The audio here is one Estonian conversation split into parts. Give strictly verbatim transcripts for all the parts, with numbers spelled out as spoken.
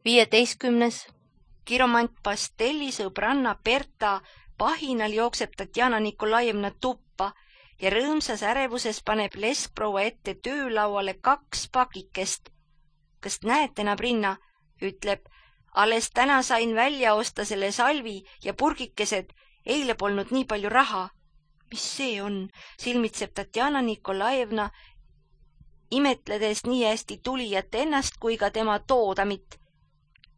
viieteistkümnes. Kiromant Pastelli sõbranna Berta pahinal jookseb Tatjana Nikolajevna tuppa ja rõõmsas ärevuses paneb leskproua ette töölauale kaks pakikest. Kas näete, nabrinna, ütleb, alles täna sain välja osta selle salvi ja purgikesed, eile polnud nii palju raha. Mis see on, silmitseb Tatjana Nikolajevna, imetledes nii hästi tulijat ennast kui ka tema toodamit.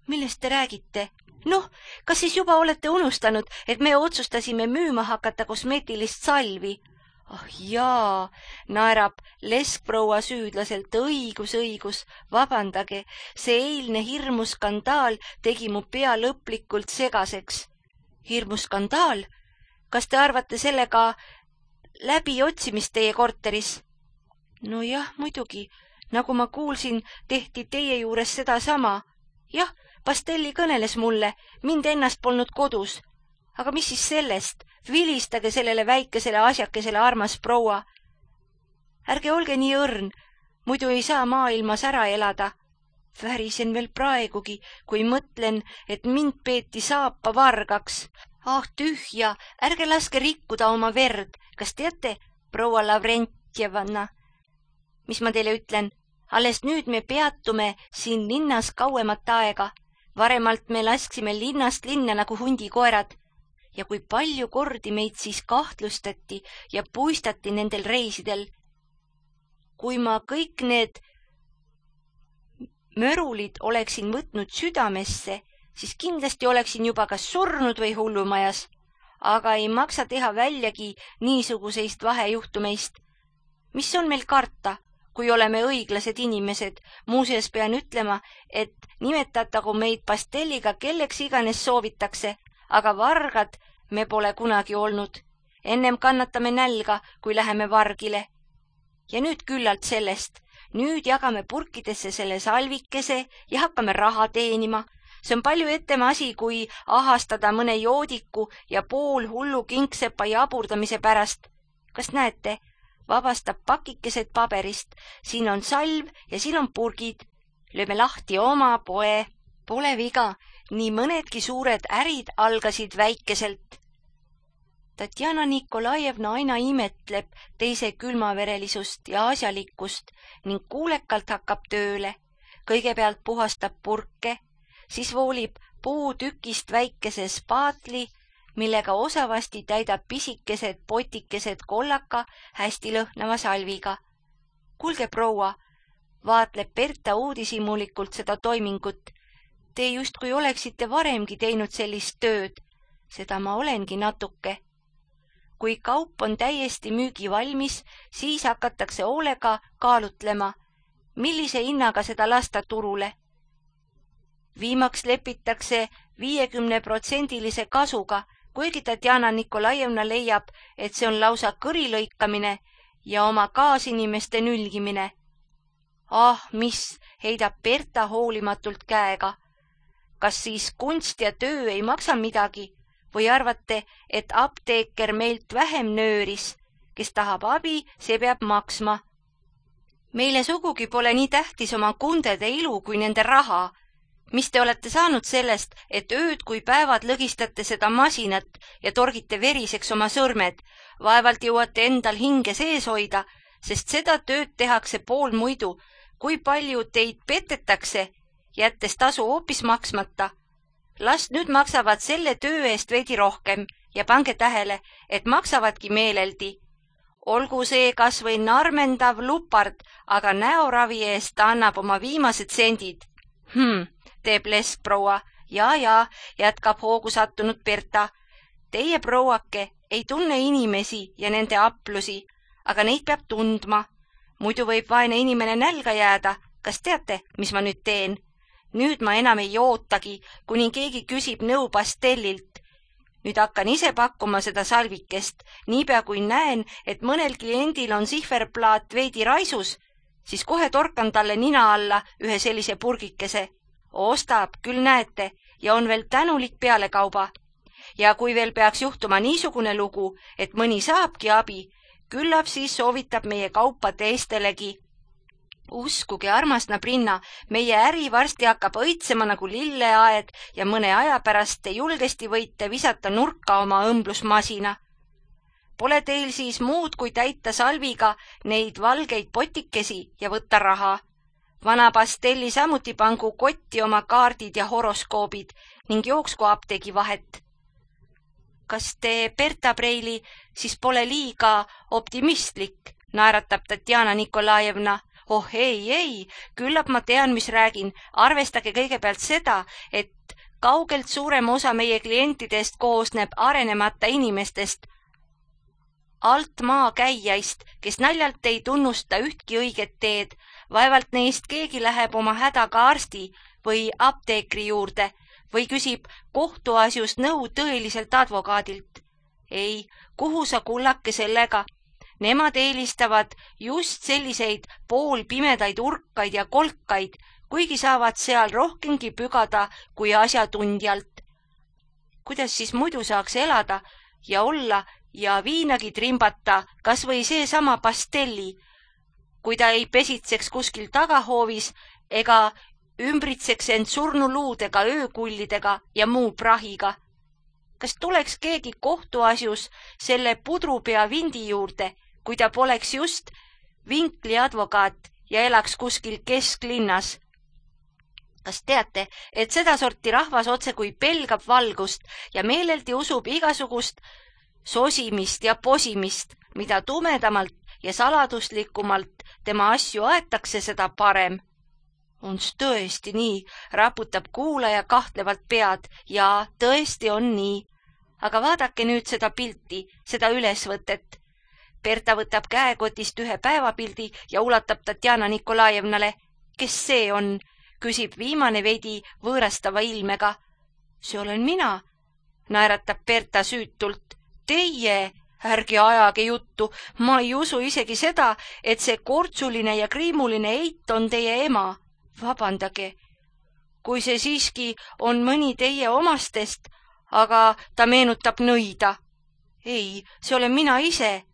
Millest te räägite? Noh, kas siis juba olete unustanud, et me otsustasime müüma hakata kosmeetilist salvi? Ah jaa, naerab leskproua süüdlaselt, õigus, õigus, vabandage, see eilne hirmu skandaal tegi mu pea lõplikult segaseks. Hirmu skandaal? Kas te arvate sellega läbi otsimist teie korteris? No jah, muidugi, nagu ma kuulsin, tehti teie juures seda sama. Jah, Pastelli kõneles mulle, mind ennast polnud kodus. Aga mis siis sellest? Vilistage sellele väikesele asjakesele, armas proua. Ärge olge nii õrn, muidu ei saa maailmas ära elada. Värisen veel praegugi, kui mõtlen, et mind peeti saapa vargaks. Ah, tühja, ärge laske rikkuda oma verd. Kas teate, proua Lavrentjevna, mis ma teile ütlen? Alles nüüd me peatume siin linnas kauemat aega. Varemalt me lasksime linnast linna nagu hundikoerad. Ja kui palju kordi meid siis kahtlustati ja puistati nendel reisidel. Kui ma kõik need mörulid oleksin võtnud südamesse, siis kindlasti oleksin juba kas surnud või hullumajas. Aga ei maksa teha väljagi niisuguseist vahejuhtumeist. Mis on meil karta, kui oleme õiglased inimesed? Muuseas pean ütlema, et nimetatagu meid Pastelliga kelleks iganes soovitakse, aga vargad me pole kunagi olnud. Ennem kannatame nälga, kui läheme vargile. Ja nüüd küllalt sellest. Nüüd jagame purkidesse selle salvikese ja hakkame raha teenima. See on palju ettema asi, kui ahastada mõne joodiku ja pool hullu kingsepa jaburdamise pärast. Kas näete? Vabastab pakikesed paberist. Siin on salv ja siin on purgid. Lööme lahti oma poe. Pole viga, nii mõnedki suured ärid algasid väikeselt. Tatjana Nikolajevna aina imetleb teise külmaverelisust ja asjalikkust ning kuulekalt hakkab tööle. Kõigepealt puhastab purke, siis voolib puutükist väikese spaatli, millega osavasti täidab pisikesed potikesed kollaka hästi lõhnava salviga. Kuulge, proua, vaatleb Berta uudishimulikult seda toimingut. Te justkui oleksite varemgi teinud sellist tööd. Seda ma olengi natuke. Kui kaup on täiesti müügi valmis, siis hakatakse hoolega kaalutlema, millise hinnaga seda lasta turule. Viimaks lepitakse viiekümne protsendilise kasuga, kuigi Tatjana Nikolajevna leiab, et see on lausa kõrilõikamine ja oma kaasinimeste nülgimine. Ah, mis, heidab Berta hoolimatult käega. Kas siis kunst ja töö ei maksa midagi? Või arvate, et apteeker meilt vähem nööris? Kes tahab abi, see peab maksma. Meile sugugi pole nii tähtis oma kundede ilu kui nende raha. Mis te olete saanud sellest, et ööd kui päevad lõgistate seda masinat ja torgite veriseks oma sõrmed? Vaevalt jõuate endal hinge sees hoida, sest seda tööd tehakse pool muidu. Kui palju teid petetakse, jättes tasu hoopis maksmata? Las nüüd maksavad selle töö eest veidi rohkem ja pange tähele, et maksavadki meeleldi. Olgu see kas või narmendav lupard, aga näoravi eest ta annab oma viimased sendid. Hmm, teeb leskproua. Ja, ja, jätkab hoogu sattunud Berta. Teie, prouake, ei tunne inimesi ja nende aplusi, aga neid peab tundma. Muidu võib vaene inimene nälga jääda. Kas teate, mis ma nüüd teen? Nüüd ma enam ei ootagi, kuni keegi küsib nõu Pastellilt. Nüüd hakkan ise pakkuma seda salvikest. Niipea kui näen, et mõnel kliendil on sihverplaat veidi raisus, siis kohe torkan talle nina alla ühe sellise purgikese. Ostab, küll näete, ja on veel tänulik pealekauba. Ja kui veel peaks juhtuma niisugune lugu, et mõni saabki abi, küllap siis soovitab meie kaupa teistelegi. Uskuge, armas Nabrinna, meie äri varsti hakkab õitsema nagu lilleaed ja mõne aja pärast te julgesti võite visata nurka oma õmblusmasina. Pole teil siis muud kui täita salviga neid valgeid potikesi ja võtta raha. Vana Pastelli samuti pangu kotti oma kaardid ja horoskoobid ning jooksku apteegi vahet. Kas te, Berta Preili, siis pole liiga optimistlik, naeratab Tatjana Nikolajevna. Oh ei, ei, küllap ma tean, mis räägin. Arvestage kõigepealt seda, et kaugelt suurem osa meie klientidest koosneb arenemata inimestest, alt maa käijaist, kes naljalt ei tunnusta ühtki õiget teed. Vaevalt neist keegi läheb oma hädaga arsti või apteekri juurde või küsib kohtuasjust nõu tõeliselt advokaadilt. Ei, kuhu sa kullake sellega? Nemad eelistavad just selliseid poolpimedaid urkaid ja kolkaid, kuigi saavad seal rohkemgi pügada kui asjatundjalt. Kuidas siis muidu saaks elada ja olla ja viinagi trimbata kas või seesama Pastelli, kui ta ei pesitseks kuskil tagahoovis ega ümbritseks end surnuluudega, öökullidega ja muu prahiga. Kas tuleks keegi kohtuasjus selle pudrupea vindi juurde, kui ta poleks just vinkli advokaat ja elaks kuskil kesklinnas? Kas teate, et seda sorti rahvas otse kui pelgab valgust ja meeleldi usub igasugust sosimist ja posimist, mida tumedamalt ja saladuslikumalt tema asju aetakse, seda parem. Ons tõesti nii, raputab kuulaja kahtlevalt pead ja tõesti on nii. Aga vaadake nüüd seda pilti, seda ülesvõtet. Berta võtab käekotist ühe päevapildi ja ulatab Tatjana Nikolajevnale. Kes see on? Küsib viimane veidi võõrastava ilmega. See olen mina, naeratab Berta süütult. Teie, ärge ajage juttu, ma ei usu isegi seda, et see kortsuline ja kriimuline eit on teie ema. Vabandage, kui see siiski on mõni teie omastest, aga ta meenutab nõida. Ei, see olen mina ise.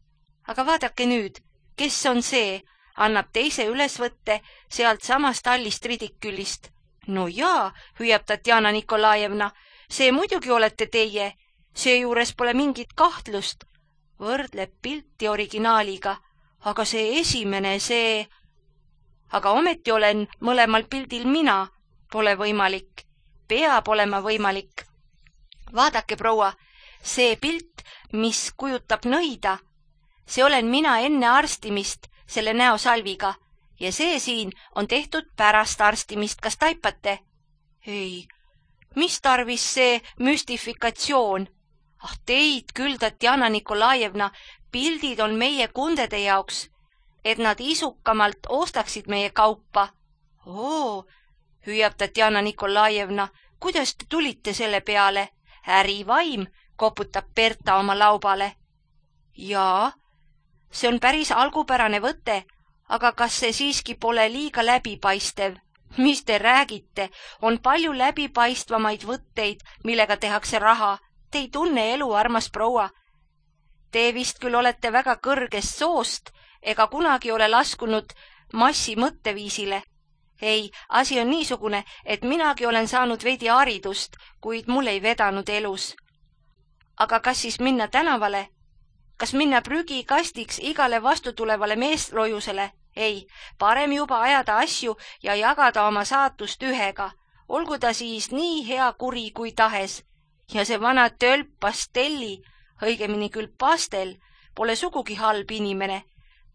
Aga vaadake nüüd, kes on see, annab teise ülesvõtte sealt samast allist ridikülist. No jaa, hüüab Tatjana Nikolajevna, see muidugi olete teie, seejuures pole mingit kahtlust. Võrdleb pilti originaaliga, aga see esimene, see... Aga ometi olen mõlemal pildil mina. Pole võimalik. Peab olema võimalik. Vaadake, proua, see pilt, mis kujutab nõida, see olen mina enne arstimist selle näosalviga ja see siin on tehtud pärast arstimist. Kas taipate? Ei, mis tarvis see müstifikatsioon? Ah, teid küll, Tatjana Nikolajevna, pildid on meie kundede jaoks, et nad isukamalt ostaksid meie kaupa. Oo, hüüab Tatjana Nikolajevna, kuidas te tulite selle peale? Ärivaim, koputab Berta oma laubale. Jaa, see on päris algupärane võte, aga kas see siiski pole liiga läbipaistev? Mis te räägite? On palju läbipaistvamaid võtteid, millega tehakse raha. Te ei tunne elu, armas proua. Te vist küll olete väga kõrgest soost, ega kunagi ole laskunud massi mõtteviisile. Ei, asi on niisugune, et minagi olen saanud veidi haridust, kuid mul ei vedanud elus. Aga kas siis minna tänavale? Kas minna prügikastiks igale vastutulevale meeslojusele? Ei, parem juba ajada asju ja jagada oma saatust ühega. Olgu ta siis nii hea kuri kui tahes. Ja see vana tölp Pastelli, õigemini küll Pastel, pole sugugi halb inimene.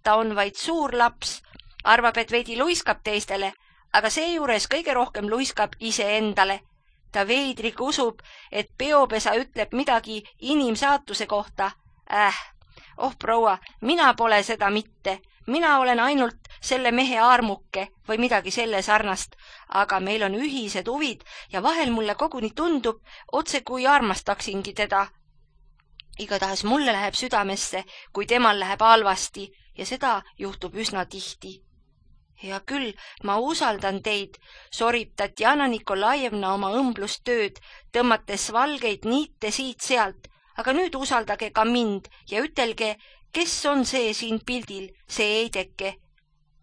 Ta on vaid suur laps, arvab, et veidi luiskab teistele, aga seejuures kõige rohkem luiskab iseendale. Ta veidrik usub, et peopesa ütleb midagi inimsaatuse kohta. Äh, oh proua, mina pole seda mitte. Mina olen ainult selle mehe armuke või midagi selle sarnast, aga meil on ühised huvid ja vahel mulle koguni tundub, otse kui armastaksingi teda. Igatahes mulle läheb südamesse, kui temal läheb halvasti ja seda juhtub üsna tihti. Hea küll, ma usaldan teid, sorib Tatjana Nikolajevna oma õmblustööd, tõmmates valgeid niite siit-sealt, aga nüüd usaldage ka mind ja ütelge, kes on see siin pildil, see eideke?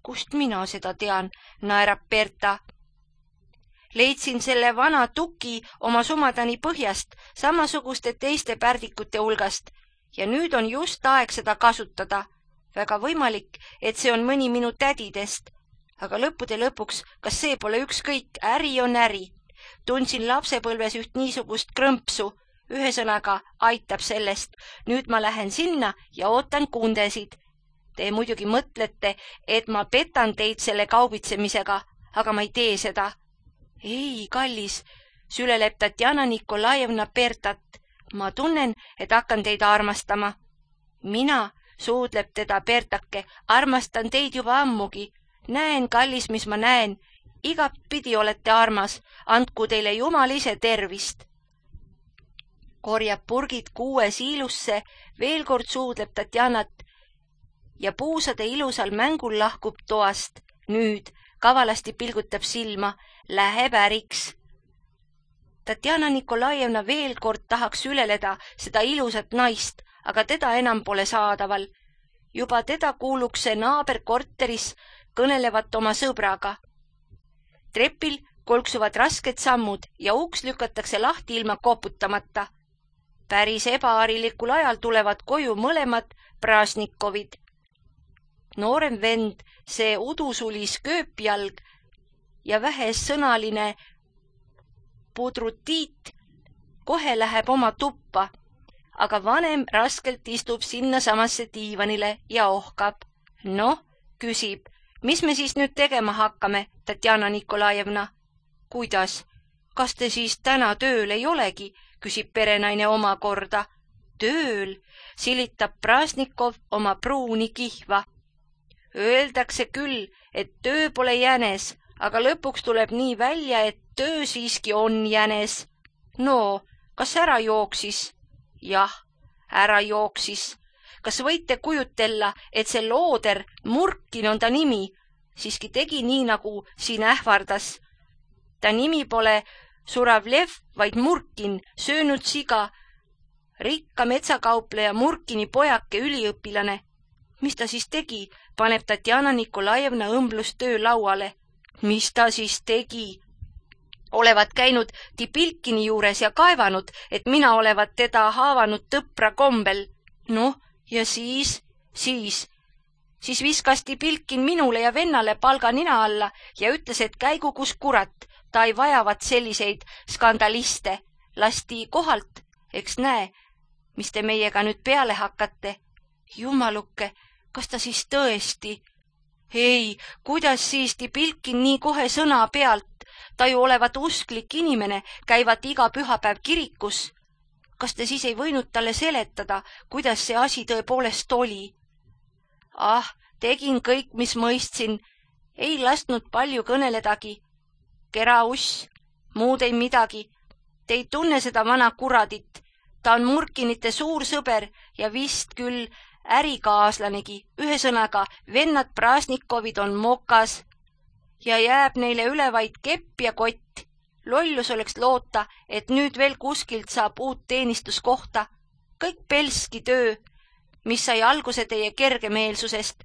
Kust mina seda tean, naerab Berta. Leidsin selle vana tuki oma sumadani põhjast, samasuguste teiste pärdikute hulgast ja nüüd on just aeg seda kasutada. Väga võimalik, et see on mõni minu tädidest. Aga lõppude lõpuks, kas see pole ükskõik, äri on äri. Tundsin lapsepõlves üht niisugust krõmpsu. Ühesõnaga aitab sellest. Nüüd ma lähen sinna ja ootan kundesid. Te muidugi mõtlete, et ma petan teid selle kaubitsemisega, aga ma ei tee seda. Ei, kallis, süleleb Tatjana Nikolajevna Bertat. Ma tunnen, et hakkan teid armastama. Mina, suudleb teda Bertake, armastan teid juba ammugi. Näen, kallis, mis ma näen. Igatpidi olete armas. Andku teile Jumal ise tervist. Korjab purgid kuue siilusse, veel kord suudleb Tatjanat ja puusade ilusal mängul lahkub toast. Nüüd kavalasti pilgutab silma, läheb äriks. Tatjana Nikolajevna veel kord tahaks üleleda seda ilusat naist, aga teda enam pole saadaval. Juba teda kuulukse naaberkorteris kõnelevat oma sõbraga. Trepil kolksuvad rasked sammud ja uks lükatakse lahti ilma koputamata. Päris ebaarilikul ajal tulevad koju mõlemad Prašnikovid. Noorem vend, see udusulis kööpjalg ja vähessõnaline pudrutiit kohe läheb oma tuppa, aga vanem raskelt istub sinna samasse diivanile ja ohkab. Noh, küsib, mis me siis nüüd tegema hakkame, Tatjana Nikolajevna? Kuidas? Kas te siis täna tööl ei olegi? Küsib perenaine omakorda. Tööl, silitab Prašnikov oma pruuni kihva. Öeldakse küll, et töö pole jänes, aga lõpuks tuleb nii välja, et töö siiski on jänes. No, kas ära jooksis? Jah, ära jooksis. Kas võite kujutella, et see looder, Murkin on ta nimi, siiski tegi nii, nagu siin ähvardas. Ta nimi pole Suravlev, vaid Murkin, söönud siga, rikka metsakaupleja Murkini pojake üliõpilane. Mis ta siis tegi, paneb Tatjana Nikolajevna õmblustöö lauale. Mis ta siis tegi? Olevat käinud Tipilkini juures ja kaevanud, et mina olevat teda haavanud tõpra kombel. Noh, ja siis, siis, siis viskas Tipilkin minule ja vennale palga nina alla ja ütles, et käigu kus kurat, ta ei vajavat selliseid skandaliste. Lasti kohalt, eks näe, mis te meiega nüüd peale hakkate. Jumaluke, kas ta siis tõesti? Ei, kuidas siis Tipilkin nii kohe sõna pealt? Ta ju olevat usklik inimene, käivat iga pühapäev kirikus. Kas te siis ei võinud talle seletada, kuidas see asi tõepoolest oli? Ah, tegin kõik, mis mõistsin. Ei lasknud palju kõneledagi. Kera uss, muud ei midagi. Te ei tunne seda vana kuradit. Ta on Murkinite suur sõber ja vist küll ärikaaslanegi. Ühesõnaga, vennad Prašnikovid on mokas ja jääb neile üle vaid kepp ja kott. Lollus oleks loota, et nüüd veel kuskilt saab uut teenistuskohta. Kõik pelski töö, mis sai alguse teie kergemeelsusest.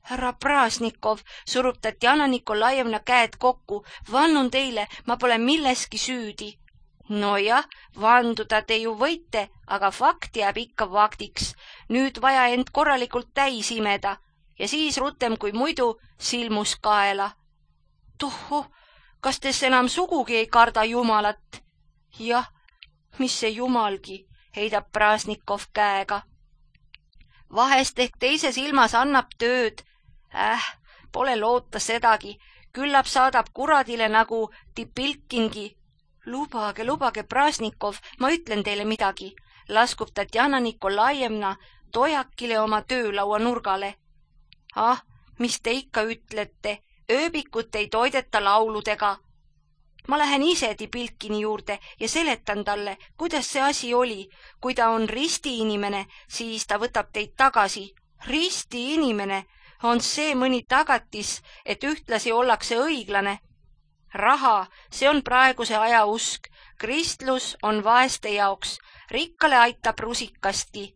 Härra Prašnikov, surub Tatjana Nikolajevna käed kokku. Vannun teile, ma pole milleski süüdi. Nojah, vanduda te ju võite, aga fakt jääb ikka faktiks. Nüüd vaja end korralikult täis imeda ja siis rutem kui muidu silmus kaela. Tohho, kas tes enam sugugi ei karda Jumalat? Jah, mis see Jumalgi, heidab Prašnikov käega. Vahest ehk teise silmas annab tööd. Äh, pole loota sedagi. Küllap saadab kuradile nagu Tipilkingi. Lubage, lubage, Prašnikov, ma ütlen teile midagi. Laskub Tatjana Nikolajevna tojakile oma töölaua nurgale. Ah, mis te ikka ütlete? Ööbikut ei toideta lauludega. Ma lähen ise Tipilkini juurde ja seletan talle, kuidas see asi oli. Kui ta on risti inimene, siis ta võtab teid tagasi. Risti inimene on see mõni tagatis, et ühtlasi ollakse õiglane. Raha, see on praeguse aja usk. Kristlus on vaeste jaoks. Rikkale aitab rusikastki.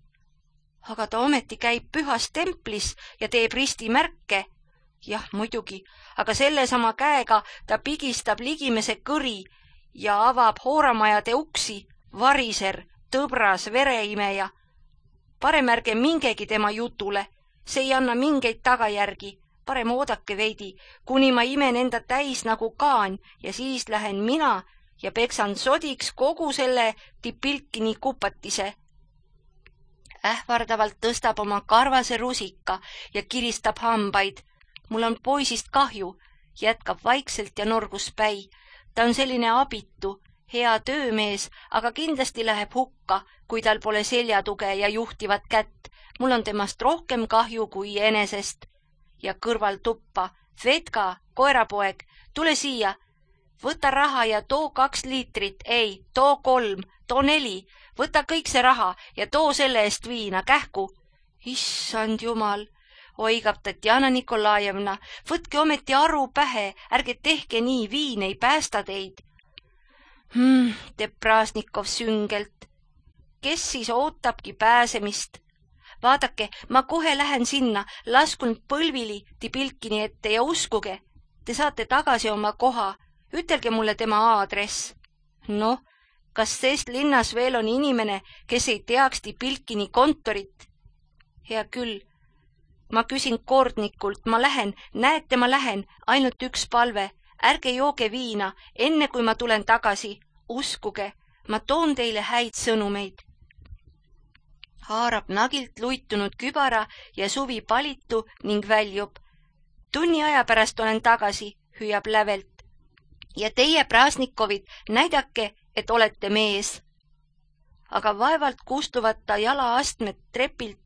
Aga ta ometi käib pühas templis ja teeb ristimärke. jah, muidugi, aga selle sama käega ta pigistab ligimese kõri ja avab hooramajade uksi, variser, tõbras, vereimeja. Parem ärge mingegi tema jutule, see ei anna mingeid tagajärgi, parem oodake veidi, kuni ma imen enda täis nagu kaan ja siis lähen mina ja peksan sodiks kogu selle Tipilkini kupatise. Ähvardavalt tõstab oma karvase rusika ja kiristab hambaid. Mul on poisist kahju, jätkab vaikselt ja norgus päi. Ta on selline abitu, hea töömees, aga kindlasti läheb hukka, kui tal pole seljatuge ja juhtivat kätt. Mul on temast rohkem kahju kui enesest. Ja kõrval tuppa, Vedka, koerapoeg, tule siia. Võta raha ja too kaks liitrit, ei, too kolm, too neli. Võta kõik see raha ja too selle eest viina, kähku. Issand jumal, oigab Tatjana Nikolajevna, võtke ometi aru pähe, ärge tehke nii, viin ei päästa teid. Hmm, teeb Prasnikov süngelt. Kes siis ootabki pääsemist? Vaadake, ma kohe lähen sinna, laskun põlvili Tipilkini ette ja uskuge, te saate tagasi oma koha. Ütelge mulle tema aadress. Noh, kas sest linnas veel on inimene, kes ei teaks Tipilkini kontorit? Hea küll. Ma küsin kordnikult, ma lähen, näete, ma lähen, ainult üks palve. Ärge jooge viina, enne kui ma tulen tagasi. Uskuge, ma toon teile häid sõnumeid. Haarab nagilt luitunud kübara ja suvi palitu ning väljub. Tunni aja pärast olen tagasi, hüüab lävelt. Ja teie, Prasnikovid, näidake, et olete mees. Aga vaevalt kustuvad ta jalaastmed trepilt,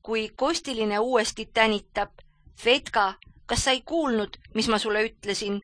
kui Kostiline uuesti tänitab. Vedka, kas sa ei kuulnud, mis ma sulle ütlesin?